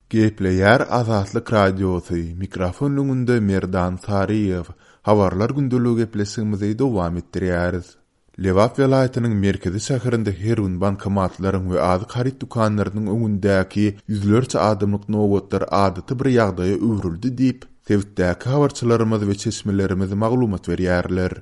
Gepleýär Azatlyk Radiosy, mikrofon öňünde Merdan Saryýew. Habarlar gündeligi gepleşigimizi dowam etdirýäris. Lebap welaýatynyň merkezi şäherinde her gün bankomatlaryň we azyk haryt dükanlarynyň öňündäki ýüzlerçe adamlyk nobatlar adaty bir ýagdaýa öwrüldi diýip, sebitdäki habarçylarymyz we çeşmelerimiz maglumat berýärler.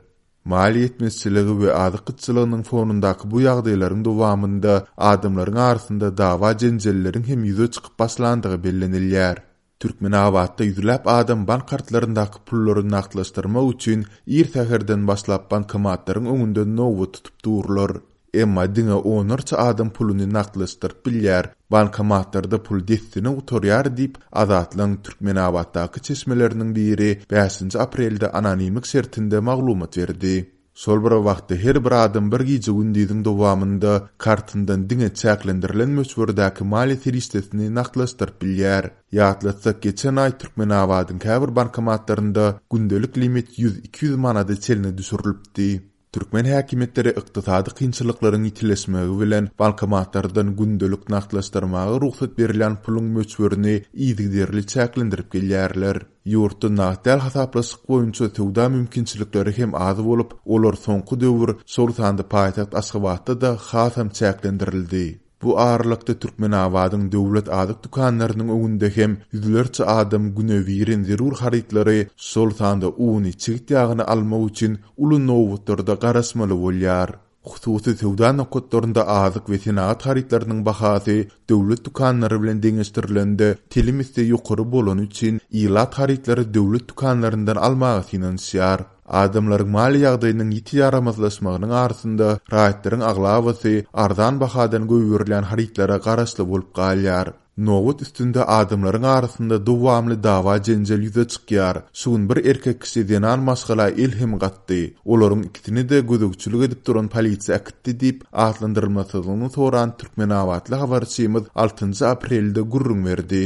Maliýe ýetmezçiligi we azyk gytçylygynyň fonundaky bu ýagdaýlaryň dowamynda adamlaryň arasynda dawa-jenjelleriň hem ýüze çykyp başlandygy bellenilýär. Türkmenabatda ýüzläp adam bank kartlaryndaky pullary nagtlaşdyrmak üçin ir säherden başlap bankomatlaryň öňünde nobat tutup durlar. Emma diňe onlarça adam puluny nagtlaşdyryp bilýär, bankomatlarda pul dessine gutarýar diýip, Azatlygyň Türkmenabatdaky çeşmeleriniň biri bäşinji aprelde anonimlik şertinde maglumat berdi. Şol bir wagtda her bir adam bir gije-gündiziň dowamynda kartyndan diňe çäklendirilen möçberdäki maliýe serişdesini nagtlaşdyryp bilýär. Ýatlatsak, geçen aý Türkmenabadyň käbir bankomatlarynda gündelik limit ýüz-iki ýüz manada çenli düşürilipdi. Türkmen häkimiýetleri ykdysady kynçylyklaryň ýitileşmegi bilen bankomatlardan gündelik nagtlaşdyrmaga rugsat berilýän puluň möçberini yzygiderli çäklendirip gelýärler. Ýurtda nagt däl hasaplaşyk boýunça söwda mümkinçilikleri hem az bolup, olar soňky döwür, şol sanda paýtagt Aşgabatda-da hasam çäklendirildi. Bu aralykda Türkmenabadyň döwlet azyk dükanlarynyň öňünde hem ýüzlerçe adam günebirin zerur harytlary, şol sanda uny, çigit ýagyny almak üçin uly nobatlarda garaşmaly bolýar. Hususy söwda nokatlarynda azyk we senagat harytlarynyň bahasy döwlet dükanlary bilen deňeşdirilende telim esse ýokary bolany üçin ilat harytlary döwlet dükanlaryndan almaga synanyşýar. Adamlaryň maliýe ýagdaýynyň ýiti ýaramazlaşmagynyň arasynda raýatlaryň aglabasy arzan bahadan goýberilýän harytlara garaşly bolup galýar. Nobat üstünde adamlaryň arasynda dowamly dawa-jenjel ýüze çykýar. Şu gün bir erkek kişi zenan maşgala el hem gatdy. Olaryň ikisini-de gözegçilik edip duran polisiýa äkitdi diýip, atlandyrylmasyzlygyny soran türkmenabatly habarçymyz altynjy aprelde gürrüň berdi.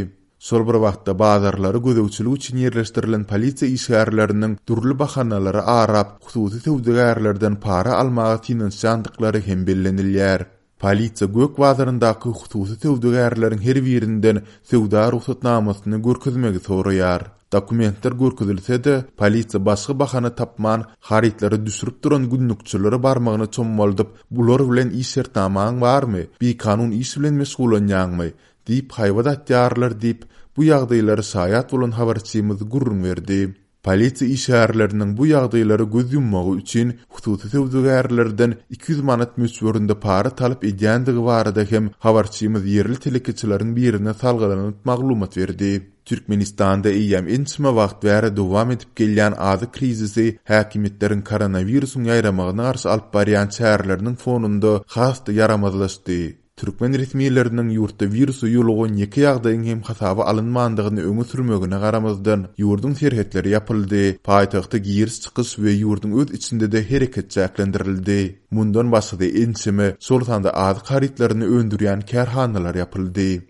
Şol bir wagtda, bazarlara gözegçilik üçin ýerleşdirilen polisiýa işgärleriniň dürli bahanalary arap, hususy söwdagärlerden para almaga synanyşýandyklary hem bellenilýär. Polisiýa Gök bazaryndaky hususy söwdagärleriň her birinden söwda rugsatnamasyny görkezmegi soraýar. Dokumentler görkezilse-de, polisiýa başga bahana tapman, harytlary düşürip duran günlükçilere barmagyny çommaldyp, Bular bilen iş şertnamaň barmy? Bikanun iş bilen meşgullanýaňmy? Diýip haýbat atýarlar diýip, bu ýagdaýlara şaýat bolan habarçymyz gürrüň berdi. Polisiýa işgärleriniň bu ýagdaýlara göz ýummagy üçin hususy söwdagärlerden 200 manat möçberinde para talap edýändigi barada hem habarçymyz ýerli telekeçileriň birine salgylanyp maglumat berdi. Türkmenistanda eýýäm ençeme wagt bäri dowam edip gelýän azyk krizisi häkimiýetleriň koronawirusyň ýaýramagyna garşy alyp barýan çäreleriniň fonunda has-da ýaramazlaşdy. Türkmen resmileriniň ýurtda wirusa ýolugan ýeke ýagdaýyň hem hasaba alynmandygyny öňe sürmegine garamazdan, ýurduň serhetleri ýapyldy, paýtagta giriş-çykyş we ýurduň öz içinde-de hereket çäklendirildi. Mundan başga-da ençeme, şol sanda azyk harytlaryny öndürýän kärhanalar ýapyldy.